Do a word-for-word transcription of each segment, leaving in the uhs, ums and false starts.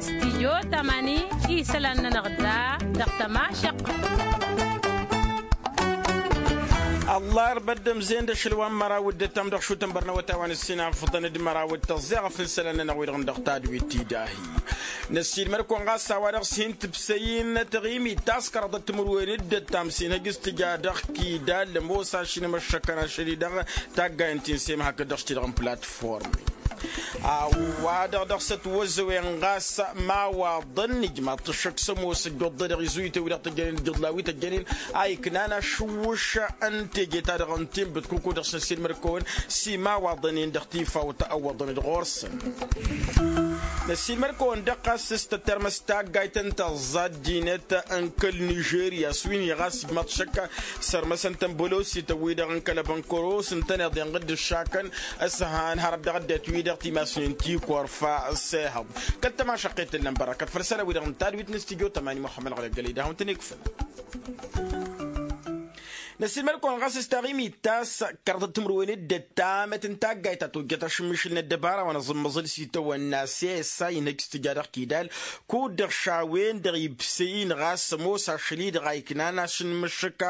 Stijyo tamani isălan-nănăɣ da dăɣ-tămašăq. Ăllarba dd-ămzen d-ašăl wa n-măraw d-ăttam dăɣ-šutăn bărnăwăt a-wa n-ǝssin afǝḍăn d-măraw d-tăẓẓeɣ fǝnsălăn-nănăɣ-wi-dăɣ n-dăɣ tadwit tidahi. Năssiilmăr-kăwăn ɣas a-wa dăɣ-s hin-tǝbsăy-in tăɣimit ta s-kăraḍăt timǝrwen d-ăttam s-inhăj s-tǝja dăɣ-kidal ămoos ašǝnmăššăkăn ašăl-i-dăɣ taggayen ti n-sema hakd-dăɣ s-ti-dăɣ n-platform. A-wa-dăɣ dăɣ-s ătwăzzăwen ɣas imawaḍăn ijmaḍ-t ǝššăk s-ămoos ăjjoḍḍe-dăɣ izuyǝtăn wi-dăɣ tăjjănen ǝjjǝḍlawi tăjjănen a iknan ašǝwwǝš n-teje-ta-dăɣ n-tinbǝt kuku dăɣ-s năssiilmăr-kăwăn s-imawaḍăn-in dăɣ-tifawt ăwwăḍăn-dd ɣur-săn. Năssiilmăr-kăwăn-dăɣ ɣas s-tătermăs taggayt n-taẓẓa ăddinăt n-kăl nižerya s-wi n-hi ɣas ijmaḍ šăkka sărmăsăn-tăn bălosităn-wi-dăɣ n-kăl-abănkăros ǝntăneḍ inɣǝd ǝššakăn s-han hărăt dăɣ-ăddinăt-wi-dăɣ timasnen ti korfa s-ehăḍ. Kăl-tămašăqqet tǝllăn bărăkăt făll-isălan-wi-dăɣ n-tadwit n-studyo tămani muxămmăd ɣălăggălăy d-ahun-tăn-ikfǝl. Năssiilmăd-kăwăn ɣas s-taɣimit ta s-kăraḍăt timǝrwen d-ăttamăt n-taggayt ta tojjăt ašǝmmišǝl n-ăddăbara wa n-aẓǝmmăẓǝl s-itawănna s-esa inhăj s-tǝja dăɣ-kidal kud-dăɣ šawen-dăɣ ibsăy-in ɣas ămoos ašăl-i-dăɣ a iknan ašǝnmǝššǝk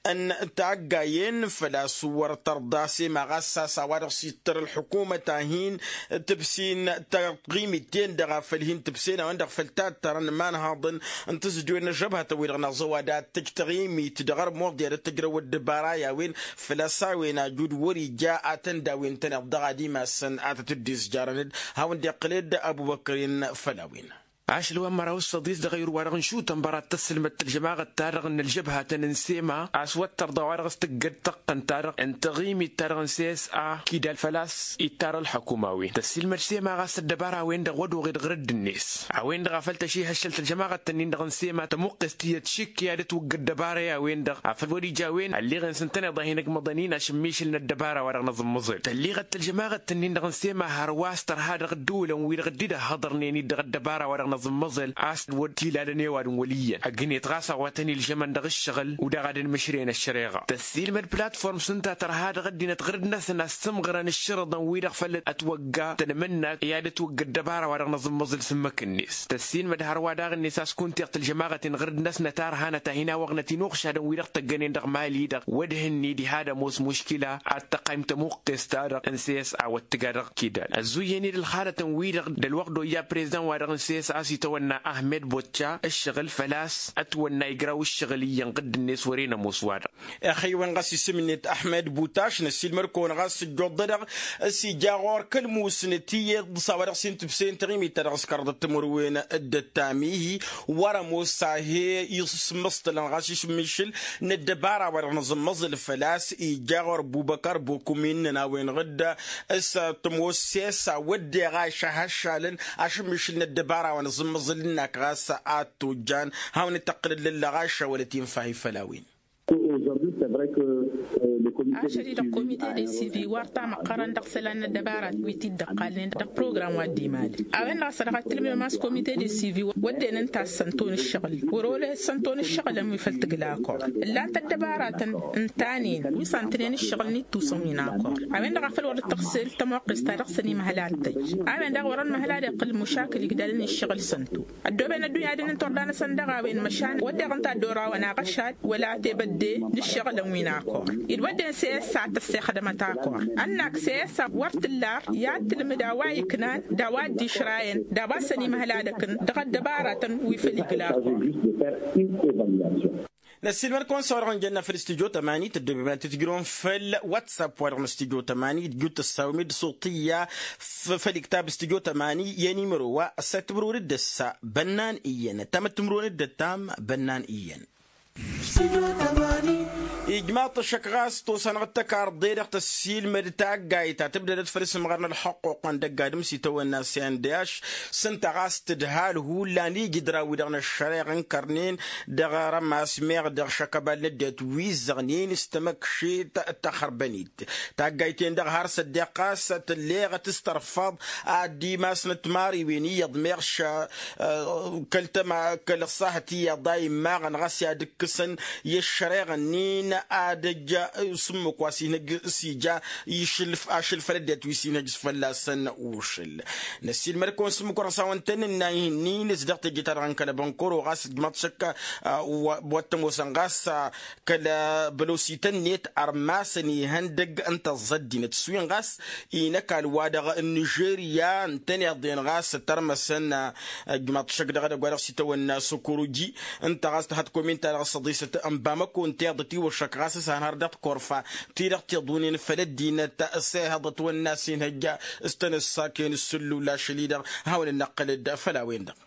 n-taggayen făl-a-s wăr tărḍa s-ema ɣas a-s a-wa-dăɣ s-ittăr ălḥukumăt a hin-tǝbsin taɣimit-ten-dăɣ a făl hin-tǝbsen a-wen-dăɣ făl tattărăn imanhaḍăn n-tǝzǝdwen n-ăžžăbhătăn-wi-dăɣ n-aẓăwa d-ad-tăj taɣimit dăɣ-armuḍ i-ad-ăttăjrăw ăddăbara i-a-wen făl-a-s a-wen ajud wăr ija ad-tăn-dawen-tăn iḍḍăɣ ad-imasăn ad-tăt-dd-izjarăn-dd. Hawăn-dd-iqqǝled ăbubăkrin făll-a-wen. Ašăl wa n-măraw s-săḍis dăɣ-ayǝr-wa-dăɣ n-šutăn băra t-tăssǝlmăd tălžămaɣăt-ta-dăɣ n-ălžăbhatăn n-sema a-s wăr tărḍa wa dăɣ-s tǝggăd tăqqăn-ta-dăɣ n-taɣimit-ta-dăɣ n-sesa kidal făl-a-s ittar ălḥăkum a-wen tăssiilmăd sema ɣas ăddăbara-wen-dăɣ wăr-oɣed ɣǝrǝdd-net a-wen-dăɣ a făl tăšihăššăl tălžămaɣăt-tăn-in-dăɣ n-sema tămuqqes tiyyăt šikk i-ad-ătwǝggăd dăbara i-a-wen-dăɣ afăl wăr-ija a-wen ălleɣ-en s-ǝntăneḍ a hin-ăgmăḍăn-in ašǝmmišǝl n-ăddăbara wa dăɣ-năẓǝmmăẓel tălleɣăt tălžămaɣăt-tăn-in-dăɣ n-sema hărwa a-s tărha dăɣ-ăddăwǝlăn wi-dăɣ dd-ăhhăḍărnen-dd dăɣ-ăddăbara wa dăɣ-năẓǝmmăẓel a-s wăr t-ilalăn i-ăwadǝm wăl' iyyăn ăgg-net ɣas a-wa tăn-ilžămăn dăɣ-ǝššăɣǝl u-daɣ ad-ănmǝšreyăn ăššăreɣa tăssiilmăd platform s-ǝnta tărha dăɣ-ăddinăt ɣǝrǝd-năsăn a s-sǝmɣărăn ǝššărǝḍăn wi-dăɣ făll-ătwăgga tănmǝnnakt i-ad-ătwăgg ăddăbara wa dăɣ-năẓǝmmăẓǝl s-ǝmmǝk-net tăssiilmăd hărwa daɣ-net a-s kuntiɣ tălžămaɣăt-in ɣǝrǝd-năsnăt a ărhanăt a hin-awăɣnăt inuɣšadăn wi-dăɣ tăggănen dăɣ-mali-dăɣ wădhǝnni diha ad-ămoos muškila ad-tăqqayǝm tămuqqest-ta-dăɣ n-sesa wăr t-tǝga dăɣ-kidal ăzzuyyen-dd ălxalătăn-wi-dăɣ d-ălwăqq d-oyya prezdan-wa-dăɣ n-sesa a-s itawănna ahmed bocca ǝššăɣǝl făl-a-s ătwănna igraw ǝššăɣǝl iyyăn ɣǝdd-net wăren ămoos-wa-dăɣ. Ixăyy-wen ɣas isǝm-net ahmed butaš năssiilmăd-kăwăn ɣas ǝjjuḍ-dăɣ s-ija ɣur-kăl-musnăt iyyăḍ s-a-wa dăɣ-s hin-tǝbseyăn taɣimit-ta-dăɣ s-kăraḍăt timǝrwen d-ăttam ihi wăr-ămoos a he-isǝmmǝṣtălăn ɣas išǝmmišǝl n-ăddăbara wa dăɣ-nǝẓǝmmăẓǝl făl-a-s ija ɣur-ăbbubăkăr bokumin-năn a-wen-dăɣ s-tămoos s-e-s a wădden ɣaš a hăššalăn ašǝmmišǝl n-ăddăbara wa nǝẓǝmmăẓǝl ǝnnak ɣas ad-tojjan hawăn-dd-tăqqǝlăd lălla ɣaš a wălăt infa hi-făll-a-wen. Ašăl-i-dăɣ komite de sivi wăr tamăqqărăn dăɣ-isălan n-ăddăbarat wi t-dd-ăqqalnen dăɣ-program wa dd-imalăn a-wen-dăɣ a-s dăɣ-ad-tǝlmǝdăm a-s komite de sivi wădden ǝnta a-s sănton ǝššăɣǝl wăr-olăh sănton ǝššăɣǝlăn wi făl tǝgla akor ǝllan-t ăddăbaratăn ǝnta-nen wi s-antănen ǝššăɣǝl n-ittusăn wi n-akor. A-wen-dăɣ a făl wăr dd-tăɣsel tămoqqest ta dăɣ-săn imhăl ad-tăjj a-wen-dăɣ wăr-ănmăhăl ad-iqqǝl mušakǝl igdalăn ǝššăɣǝl săntu. Ăddooben ăddunya ad-ǝnnǝntor danăsăn dăɣ-a-wen măšan wădden ǝnta a dd-orawăn aɣăšad wăla tebădde n-ǝššăɣǝlăn wi n-akor. Id-wădden s-e-s a tăssexdămăt akor ănnak s-e-s a wăr t-ǝllar i-ad-tǝlmǝd a-wa iknan d-a-wa dd-išrayăn d-a-wa săn imhăl ad-ăkǝn dăɣ-ăddăbaratăn wi făl igla akor. Năssiilmăd-kăwăn s-a-wa-dăɣ n-jănna făll-studyo tămani tăddobem ad-t-tǝjrǝwăm făll-whatsapp wa-dăɣ n-studyo tămani d-jut tăssawem-dd suṭiyya făll-iktab studyo tămani i-animăro wa ăssayăt timǝrwen d-ăssa bănnan iyyăn ăttamăt timǝrwen d-ăttam bănnan iyyăn. Ijmaḍ-t ăššăk ɣas tosa-năɣ d-tăkarḍe-dăɣ tăssiilmăd taggayt ta tǝbdădăt făll-isǝmɣăr n-ălxăqquq wa n-dăgg-adǝm s-itawănna s-i n-d-ašš s-ǝnta ɣas tǝdhal hullan ijǝdra-wi-dăɣ n-ăššăreɣ ǝnkărnen dăɣ-rămas meɣ dăɣ-šăkăbal n-ăddinăt wi ǝzzăɣnen s-tamăkšit d-taxărbănit. Taggayt-en-dăɣ har s-ăddeɣ ɣas tǝlleɣăt s-tărfăḍ ad-dd-imasnăt timariwen iyyăḍ meɣ š-kăl-tăma kăl-ăṣṣahăt iyyăḍ a immaɣăn ɣas i-ad-ǝkkǝsăn i-ăššăreɣ-nin. ad-ăj s-ǝmmǝk wa s-inhăj s-ija išǝlf ašǝl făll-ăddinăt wi s-inhăj s-fălla-săn ušǝl. Năssiilmăd-kăwăn s-ǝmmǝk wa dăɣ-s a-wăn tăn-ǝnna ihǝnnin-s dăɣ-teje-ta-dăɣ n-kăl-ăbănkur-o ɣas ǝjmaḍ šăkk wa t-ămoosăn ɣas kăl-bălosităn-net ărmasăn ihăndăg n-tăẓẓa ăddinăt s-wi n-ɣas inăkall wa-dăɣ n-nižerya ǝntăneḍ-en ɣas ăttărmăsăn ǝjmaḍ šăkk dăɣ-edăgg wa dăɣ-s itawănna s-okoroji. Ǝnta ɣas tăhăḍ komin-ta-dăɣ s-ăḍisăt n-bamăko ǝnta-i-dăɣ tiwăššăk ɣas s-hanhăr dăɣ-tikorfa ti-dăɣ tiḍunen făll-ăddinăt s-ehăḍ ătwănna s-inhăjja s-tăn-ǝssakăyăn s-sǝllu lašăl-i-dăɣ. Hawăn-ănnăqqǝlăd făll-a-wen-dăɣ.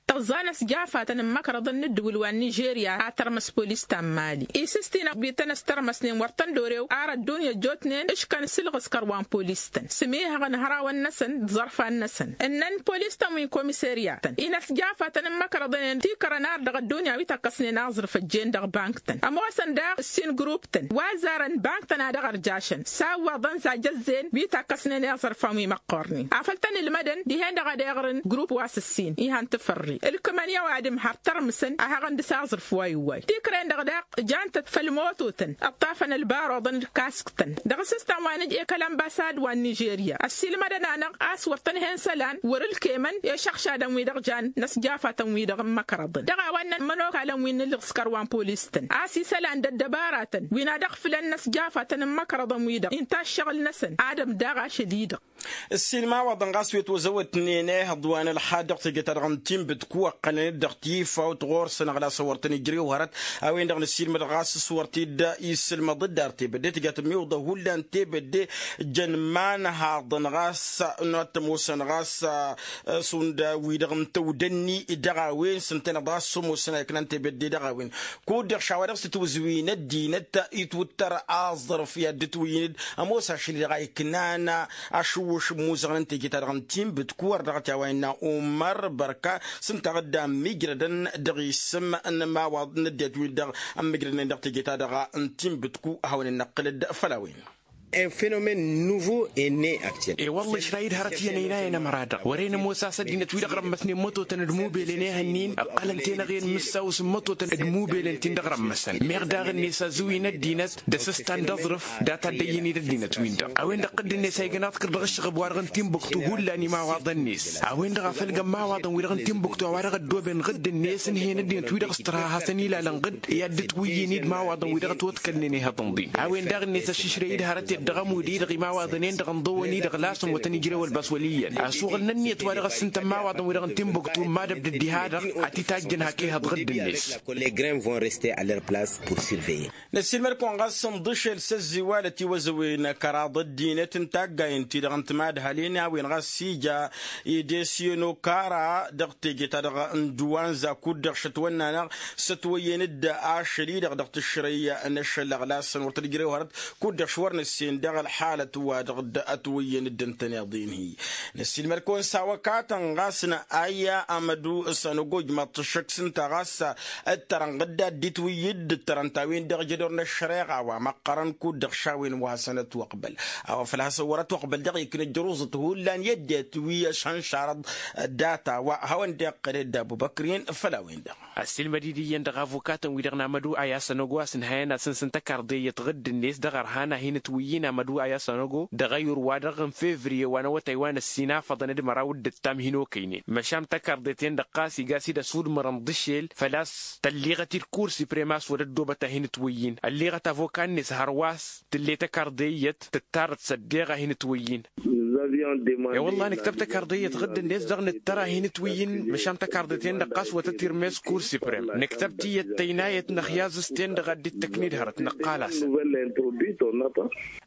Tăẓẓa n-ăsjafatăn n-imăkrăḍăn n-ǝddǝwǝl wa n-nižerya a tărmăs polis ta n-mali isǝstinăɣ wi tăn-ăstărmăsnen wăr tăn-dd-orew ar ăddunya ăjjootnen ǝškăn s-ǝlɣǝskăr wa n-polis-tăn s-ămihăɣăn hărawăn-năsăn d-iẓărfan-năsăn ǝnnăn polis-tăn wi n-komiserya-tăn-i n-ăsjafatăn n-imăkrăḍăn-en tikrăn ar dăɣ-ăddunya wi tăkkăsnen aẓrǝf ăjjeen dăɣ-bank-tăn ămoosăn daɣ ǝssin grup-tăn wa ăzzarăn bank-tăn a dăɣ-ărjašăn s-a ǝwwaḍăn zaj ăzzeen wi takkăsnen i-aẓrǝfan wi măqqornen afăl tăn-ǝlmădăn dihen-dăɣ ad-eɣrǝn grup wa s-ǝssin ihan tǝfărre ǝlkǝmăn i-ăwadǝm har tărmǝsăn a haɣăn dăɣ-s aẓrǝf wa iwway tikrăyăn-dăɣ daɣ ǝjan-tăt făll-mototăn ǝṭṭafăn ălbaruḍăn d-kask-tăn dăɣ-s s-tăn wa nǝj'-e kăl-ănbasad wa n-nižerya ăssiilmădăn-anăɣ a-s wăr tăn-hen isălan wăr-ǝlkemăn i-išăɣšadăn-wi-dăɣ jan n-ăsjafatăn-wi-dăɣ n-imăkrăḍăn dăɣ-a-wa ǝnnăn imănokalăn wi n-ǝlɣǝskăr wa n-polis-tăn a-s isălan d-ăddăbaratăn wi n-ad-ăɣfǝlăn n-ăsjafatăn n-imăkrăḍăn-wi-dăɣ inta ǝššăɣǝl-năsăn ad-ămdaɣ ašăl-i-dăɣ. Ǝssin imawaḍăn ɣas wi ătwăzăwătnen ehăḍ wa n-ălxad dăɣ-teje-ta-dăɣ n-tinbǝtku ăqqălăn-dd dăɣ-tifawt ɣur-săn ăɣlas a wăr tăn-ijrew hărăt a-wen-dăɣ năssiilmăd ɣas s-wăr t-dd-isǝlmăḍ-dd ar tebădde tǝjat ămmiwǝḍăh hullan tebădde jăn imanhaḍăn ɣas n-wa t-ămoosăn ɣas šund wi-dăɣ n-tăwdănni dăɣ-a-wen s-ǝntăneḍ ɣas s-ămoosăn a iknan tebădde dăɣ-a-wen. Kud-dăɣ š-a-wa dăɣ-s tǝtwǝzǝwin ăddinăt itwǝttăr aẓrǝf i-ad-dd-ǝtwǝyyǝn-dd ămoos ašăl-i-dăɣ a iknan ašǝwwǝš n-imuzăɣăn n-teje-ta-dăɣ n-tinbǝtku wăr dăɣ-t i-a-wa innă umăr bărka s-ǝnta dd-ămmijrădăn dăɣ-isǝm n-imawaḍ n-ăddinăt-win-dăɣ ămmijrădnen dăɣ-teje-ta-dăɣ n-tinbǝtku a hawăn-dd-năqqǝlăd făll-a-wen. Un phénomène nouveau et né actuel. E-wălla ǝšrayǝd hărăt iyyăn ăynayăn ămăra-dăɣ wăren ămoos a-s ăddinăt-wi-dăɣ rămmăsnen mătotăn d-mubelen ehăn-in ǝqqălăn-ten-ăɣen mǝssaw s-mătotăn d-mubelen-tin-dăɣ rămmăsăn meɣ daɣ-net azǝwin ăddinăt d-asǝstan d-aẓrǝf data dd-ăyyăn-dd ăddinăt-win-dăɣ a-wen-dăɣ tădd-net a igan aḍkăr dăɣ-ǝššăɣǝb-wa-dăɣ n-tinbuktu hullan imawaḍăn-net a-wen-dăɣ a făl găn imawaḍăn-wi-dăɣ n-tinbuktu a-wa dăɣ-ăddooben ɣǝdd-net ǝnhăyăn ăddinăt-wi-dăɣ s-tărha a hasăn-ilalăn ɣǝdd i-ad-dd-ǝtwǝyyǝn-dd imawaḍăn-wi-dăɣ ătwăḍkălnen ihăḍ n-ḍin a-wen daɣ-net ăššǝšrăy-dd hărăt-ed dăɣ-ămud-i-dăɣ imawaḍăn-en-dăɣ ǝnḍăwăn-i-dăɣ lasăn wăr tăn-ijrew ălbas wăl' iyyăn asuɣǝl n-ǝnniyăt wa dăɣ-ăssǝntăn imawaḍăn-wi-dăɣ n-tinbuktu n-madăb d-ǝddihadăɣ ad-t-tajjăn hak ehăḍ ɣǝdd-net. Les grains vont rester à leur place pour surveiller. Năssiilmăd-kăwăn ɣas ǝnḍǝšel s-ăzziwalăt iwăzăwen kăraḍ ăddinăt n-taggayen-ti-dăɣ n-timadhalin a-wen ɣas s-ija idesyen okara dăɣ-teje-ta-dăɣ n-duwanza kud-dăɣ šătwănna-năɣ s-ătwăyyăn-dd ašăl-i-dăɣ dăɣ-tǝšrăy n-ašăl ăɣlasăn wăr tăn-ijrew hărăt kud-dăɣ š-wăr nǝssen dăɣ-ălxalăt-wa-dăɣ ătwăyyăn-dd ǝntăneḍ-in-hi. Năssiilmăd-kăwăn s-awăkatăn ɣas n-ayya amădu s-anăgoj maḍt ăššăk s-ǝnta ɣas ǝttărăn ɣǝdda dd-itwǝyyǝd ǝttărăn-t a-wen-dăɣ jădor n-ăššăreɣa wa măqqărăn kud-dăɣ šawen wa hasăn-ătwăqbăl a-wa făl hasăn wăr-ătwăqbăl dăɣ-ikna ăjrǝẓăt hullan i-ăddinăt wi ăšhănšarăḍ data wa hawăn-dd-iqqăl ed abubăkrin făll-a-wen-dăɣ. Ăssiilmăd-dd iyyăn dăɣ-avukatăn-wi-dăɣ n-amădu ayas ănogo a-s ǝnhăyăn asǝnsǝn tăkarḍeyyăt ɣǝdd-net dăɣ-ărhan a hin-ǝtwǝyyǝn amădu ayas ănogo dăɣ-ayǝr-wa-dăɣ n-fevriye wa n-awătay wa n-ǝssin afăḍăn d-măraw d-ǝttam hin-okăynen măšan tăkarḍet-en-dăɣ ɣas iga a-s dd-ăsudmărăn d-ašel făl-a-s tălliɣăt-dd kursi premas wăr-ăddoobăt a hin-ǝtwǝyyǝn ălliɣăt avoka-net hărwa s-tǝlle tăkarḍeyyăt tǝttarăt s-ăddeɣ a hin-ǝtwǝyyǝn. E-wălla nǝktăb tăkarḍeyyăt ɣǝdd-net dăɣ-nǝttăr a hin-ǝtwǝyyǝn măšan tăkarḍet-en-dăɣ ɣas wăr tăt-irmes kursi prem nǝktăb tiyyăt tăynayăt n-ăxyazǝs-ten-dăɣ a dd-tăkned hărăt nǝqqal-asăn.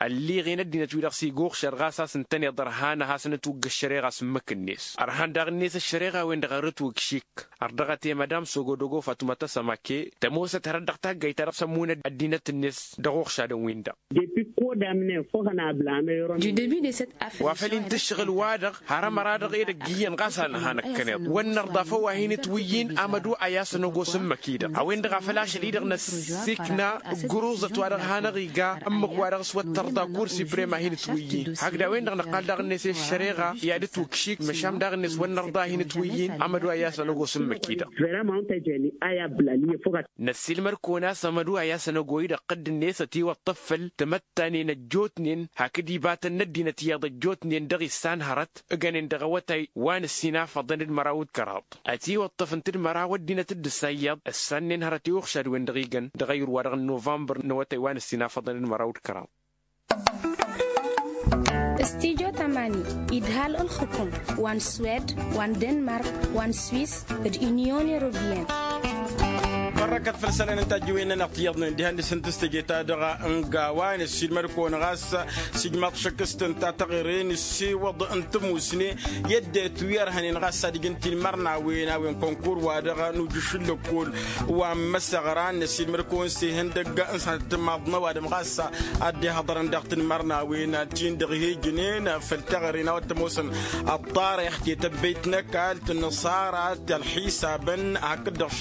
Ălliɣen ăddinăt-wi-dăɣ s-iguɣšăr ɣas a-s ǝntăneḍ ărhan a hasăn-ătwǝgg ăššăreɣa s-ǝmmǝk-net ărhan daɣ-net ăššăreɣa-wen-dăɣ ărrǝtwǝgg šik. Ărdăɣăt i-mădam sogodogo fatuma tăsămake tămoosăt hărăt dăɣ-taggayt-ta-dăɣ s-ămmunăd ăddinăt-net dăɣ-uɣšadăn-win-dăɣ. Depuis ko d-amnen făw hănabla ameyron. Du debut de cette affaire. Ălin tǝššăɣǝl-wa-dăɣ har ămăra-dăɣ edăgg iyyăn ɣas a nǝha năkkăneḍ wăr nărḍa făw a hin-ǝtwǝyyǝn amădu a i-asăn ăgos n-imăkki-dăɣ a-wen-dăɣ a făl ašăl-i-dăɣ năsikna ǝggǝruẓăt wa-dăɣ hanăɣ-iga ǝmmǝk-wa-dăɣ s-wăr tărḍa kur siprem a hin-ǝtwǝyyǝn hakd a-wen-dăɣ năqqal daɣ-net i-ăššăreɣa i-ad-ǝtwǝkšik măšan daɣ-net wăr nărḍa a hin-ǝtwǝyyǝn amădu a i-asăn ăgos n-imăkki-dăɣ. Năssiilmăd-kăwăn a-s amădu a i-asăn ăgoi-dăɣ ɣǝdd-net ătiwăṭṭăf făll-tamăttanen ăjjootnen hakd ibatăn n-ăddinăt iyyăḍ ăjjootnen dăɣ-issan hărăt ǝgănen dăɣ-awătay wa n-ǝssin afăḍăn d-măraw d-kăraḍ ătiwăṭṭăf ǝnta d-măraw ăddinăt d-ǝssa iyyăḍ ǝssannen hărăt i-uxšad-wen-dăɣ igăn dăɣ-ayǝr-wa-dăɣ n-novămbăr n-awătay wa n-ǝssin afăḍăn d-măraw d-kăraḍ. Studyo tamani idhal ǝlxǝkum wa n-swed wa n-denmark wa n-swis d-inyon europiyăn. Ărrăkăt făll-isălan n-tajjǝwen-nănăɣ tiyyăḍnen diha n-dăɣ-săn tǝstăje-ta-dăɣ n-gawa n-ăssiilmăd-kăwăn ɣas s-ijmaḍ šăkk s-tǝnta taɣere n-ǝssewăḍ n-tămusne i-ăddinăt wi ărhănen ɣas ad-ǝjǝn tinmărnawen a-wen kănkur-wa-dăɣ n-ujǝš n-lăkkol wa n-imăsăɣra n-ăssiilmăd-kăwăn s-ihăndăgg n-sănăt timaḍ n-ăwadǝm ɣas ad-dd-ihăḍărăn dăɣ-tinmărnawen ti n-dăɣ-hi-ǝjǝnen făll-taɣere n-a-wa t-ămoosăn ăṭṭarix tetăbbeyt n-ăkall tǝnnăṣara tălxisabăn hakd-dăɣ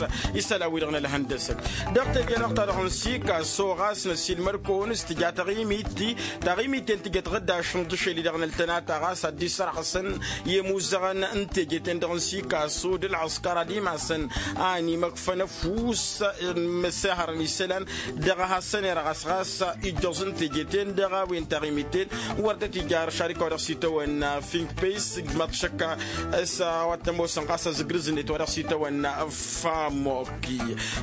isălan-wi-dăɣ n-ălhăndăsăt. Dăɣ-teje-dăɣ ta dăɣ-nǝsikaso ɣas năsiilmăd-kăwăn s-tǝja taɣimit-i taɣimit-en tǝjăt ɣǝddaš n-iḍǝšel-i-dăɣ n-ăltănata ɣas ad-dd-isărɣǝsăn i-imuzăɣăn n-teje-ten-dăɣ n-sikaso d-ălɣǝskăr ad-imasăn a ănimăkfăn ăfuss n-imăssehărăn isălan dăɣ-ehăssăn irɣas ɣas ijjoẓ n-teje-ten-dăɣ a-wen taɣimit-en wăr dd-tija ăršarika wa dăɣ-s itawănna fink păyis ǝjmaḍ šăkka s-a-wa t-ămoosăn ɣas azǝgrǝz-net wa dăɣ-s itawănna famok.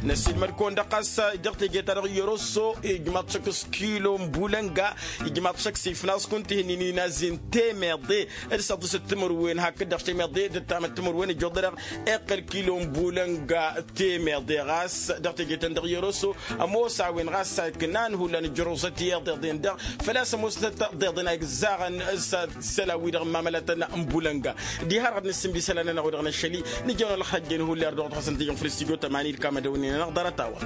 Năsiilmăd-kăwăn-dăɣ ɣas dăɣ-teje-ta-dăɣ i-oroso ijmaḍ šăkk s-kilo n-bulănga ijmaḍ šăkk s-ifnaẓ kunta ihǝnnin inazin temeḍe d-săḍǝsăt timǝrwen hakd-dăɣ temeḍe d-ăttamăt timǝrwen ǝjjoḍ-dăɣ iqqăl kilo n-bulănga temeḍe ɣas dăɣ-teje-tăn-dăɣ i-oroso ămoos a-wen ɣas a iknan hullan ǝjrǝẓăt i-iḍeḍen-dăɣ făl-a-s ămoosăt iḍeḍen a igzaɣăn s-isălan-wi-dăɣ n-imamălatăn n-bulănga. Diha-dăɣ ad-nǝssǝnbi isălan-nănăɣ-wi-dăɣ n-ašăl-i nǝjănăw ălxăjjăn hullan dăɣ-dăɣ hasăn-t-ijăn făll-studyo tămani d-kamădăwnen-nănăɣ ḍarăt-a-wa.